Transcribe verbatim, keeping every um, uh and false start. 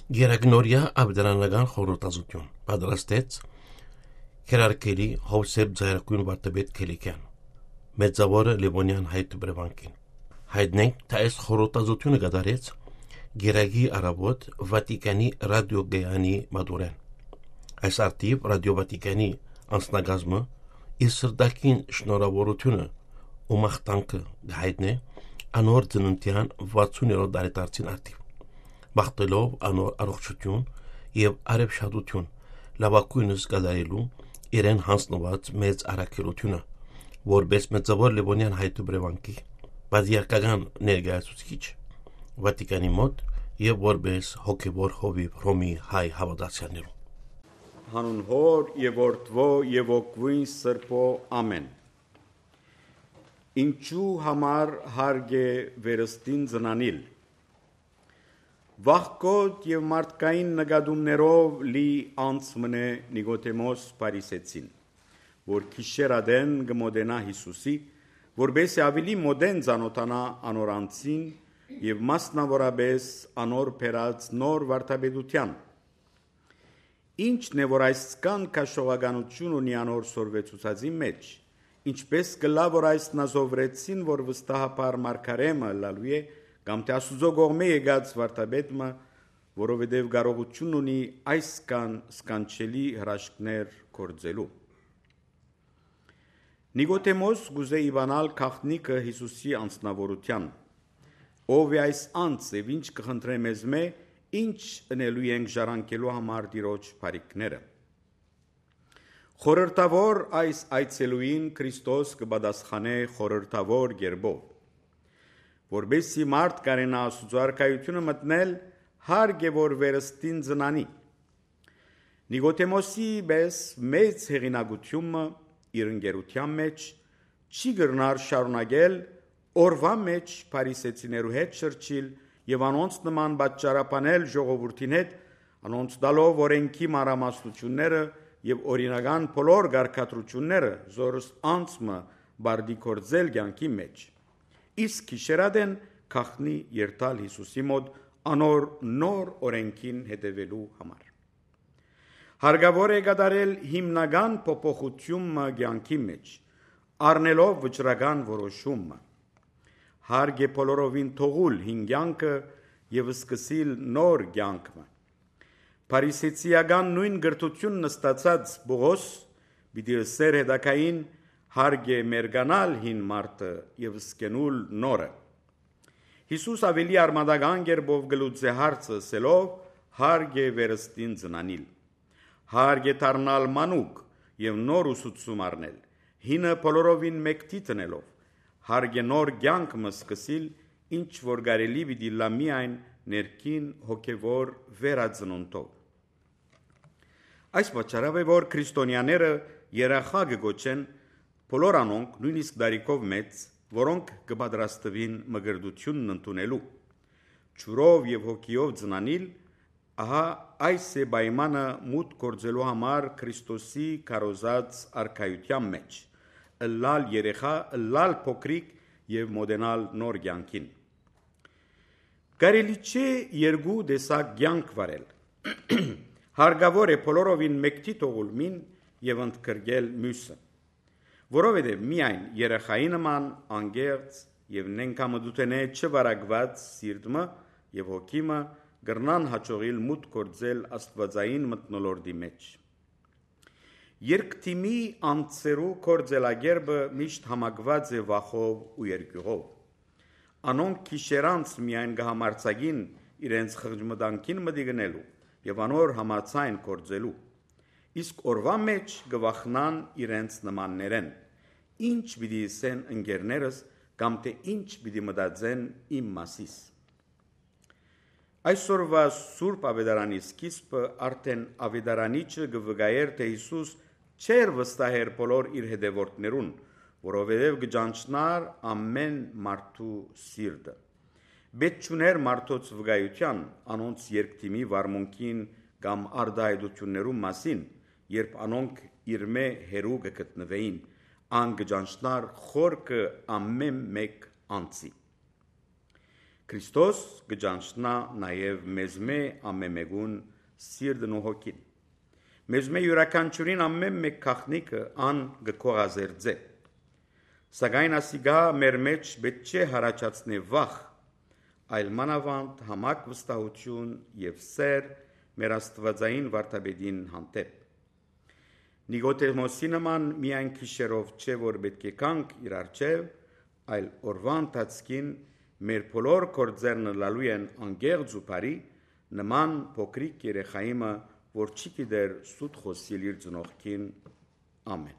Գերագնորյա Աբդրանական խորհրդազություն պատրաստեց Քերարկելի Հովսեփ Ձայրակույն Վարդապետ Քելիքյան Մեծավորը Լևոնյան հայտ բրևանքին հայտնենք թե այս խորհրդազությունը կատարեց Գերագի Արաբոտ Վատիկանի ռադիոգայանի մատուրեն այս արտիվ ռադիո Վատիկանի անձնագազմը իր սրտակին շնորհավորությունը ու մաղթանքը հայտնե անոր ծննդյան վաթսուներորդ տարեդարձին արտիվ Բախտելով անոր առողջություն եւ արևշատություն լավակույնս կատարելու իրեն հանձնված մեծ առաքելությունը որպես մեծավոր Լևոնյան հայտու բրևանքի բادرական ներկայացուցիչ Վատիկանի մոտ եւ որպես հոգեվոր հովիվ Հռոմի հայ հավատացյալներու Հանուն Հոր եւ Որդվո եւ Օգվին Սրբո ամեն Ինչու համար հարգ է վերստին ծնանիլ Վախկոտ եւ մարդկային նկատումներով լի անցմնե Նիկոդեմոս Փարիսեցին որ քիշերադեն գմոդենա Հիսուսի որբեսի ավելի մոդեն ցանոթանա անորանցին եւ մասնավորապես անոր փերած նոր վարդապետության Ինչն է որ այս կան քաշողականություն ունի անոր սորվեցուցածի մեջ ինչպես գլա որ այս նազովրեցին որ վստահաբար մարգարեմը լալու է կամ թե Աստուծո կողմէ եկած վարդապետը, որովհետև կարողություն ունի այս կան սկանչելի հրաշքներ կործելու։ Նիկոդեմոս գուզե իվանալ քաղտնիկը Հիսուսի անձնավորության, ով է այս անձ եւ ինչ կխնդրե մեզ մե, ինչ ընելու ենք ժառանգելու համար դիրոջ բարիքները։ Խորհրդավոր այս այցելուին Քրիստոս կպատասխանե խորհրդավոր գերբով որբեսի մարդ կարենա Աստուծո արքայությունը մտնել հարգ է որ վերստին ծնանի Նիկոդեմոսի պես մեծ հեղինակությունը իր ընկերության մեջ չի գրնար շարունակել օրվա մեջ Փարիսեցիներու հետ շրջիլ եւ անոնց նման պատճառաբանել ժողովրդին հետ անոնց տալով օրենքի մանրամասնությունները եւ օրինական բոլոր գարկատրությունները զորս անցմը բարդի կործել կյանքի մեջ Իսկ քիշերադեն քաղտնի երթալ Հիսուսի մոտ անոր նոր օրենքին հետևելու համար։ Հարգավոր է կատարել հիմնական փոփոխությունը կյանքի մեջ, առնելով վճռական որոշումը։ Հարկ է բոլորովին թողուլ հին կյանքը եւ սկսիլ նոր կյանքը։ Փարիսեցիական նույն գրթությունն ստացած Պողոս պիտի սեր հետակային Հարկ է մերգանալ հին մարդը եւ սկենուլ նորը։ Հիսուս ավելի արմատական կերպով գլուծե հարցը սելով հարկ է վերստին ծնանիլ։ Հարկ է դառնալ մանուկ եւ նոր ուսուցում առնել, հինը բոլորովին մեկտի տնելով։ Հարկ է նոր կյանք մսկսիլ, ինչ որ կարելի պիտի լա միայն ներքին հոգեվոր վերածնունդով։ Այս պատճառով է որ քրիստոնյաները երախա կգոչեն Բոլոր անոնք նույնիսկ դարիքով մեծ, որոնք կպատրաստվին մգրդությունն ընդունելու, ճուրով եւ հոգիով ծնանիլ, ահա այս է պայմանը մուտք գործելու համար Քրիստոսի քարոզած արքայության մեջ, ըլլալ երեխա, ըլլալ փոքրիկ եւ մոդենալ նոր կյանքին։ Կարելի չէ երկու տեսակ կյանք վարել։ Հարգավոր է բոլորովին մեկտի թողուլմին եւ ընդգրկել մյուսը։ Որովհետև միայն երեխայի նման անգերց եւ նենքամդութենե չվարակված սիրտը եւ հոգիմը գրնան հաջողիլ մուտք գործել աստվածային մտնոլորտի մեջ։ Երկթիմի անձերու կորձելագերբը միշտ համակված է վախով ու երկյուղով։ Անոնք քիշերանց միայն կհամարցագին իրենց խղճմտանքին մտիգնելու եւ անոր համացայն կորձելու։ Իսկ օրվա մեջ գվախնան իրենց նմաններեն, ինչ պիտի սեն ընկերներս կամ թե ինչ պիտի մտածեն իմ մասիս։ Այսօրվա Սուրբ Ավետարանի սկիզբը արդեն Ավետարանիչը գվգայեր թե Հիսուս չեր վստահեր բոլոր իր հետևորդներուն, որովհետև գճանչնար ամեն մարդու սիրտը։ Պետք չուներ մարդոց վկայության անոնց երկթիմի վարմունքին կամ արդահայտություններու մասին, երբ անոնք իրմե հերու կգտնվեին, անգջանչնար խորքը ամեն մեկ անցի։ Քրիստոս կճանչնա նաև մեզ մե ամեմեգուն սիրտն ու հոգին։ Մեզ մե յուրաքանչյուրին ամեն մեկ քաղնիկը ան գկողազերձե։ Սակայն ասիգա մեր մեջ պետք չէ հարաճացնի վախ, այլ մանավանդ համակ վստահություն եւ սեր մեր աստվածային վարդապետին հանդեպ։ Նիկոդեմոսի նման միայն քիշերով չէ, որ պետք է կանք իր առջև, այլ օրվա ընթացքին մեր բոլոր գործերն լալու են անգեղծ ու բարի, նման փոքրիկ երեխայիմը, որ չի գիտեր սուտ խոսիլ իր ծնողքին։ Ամեն։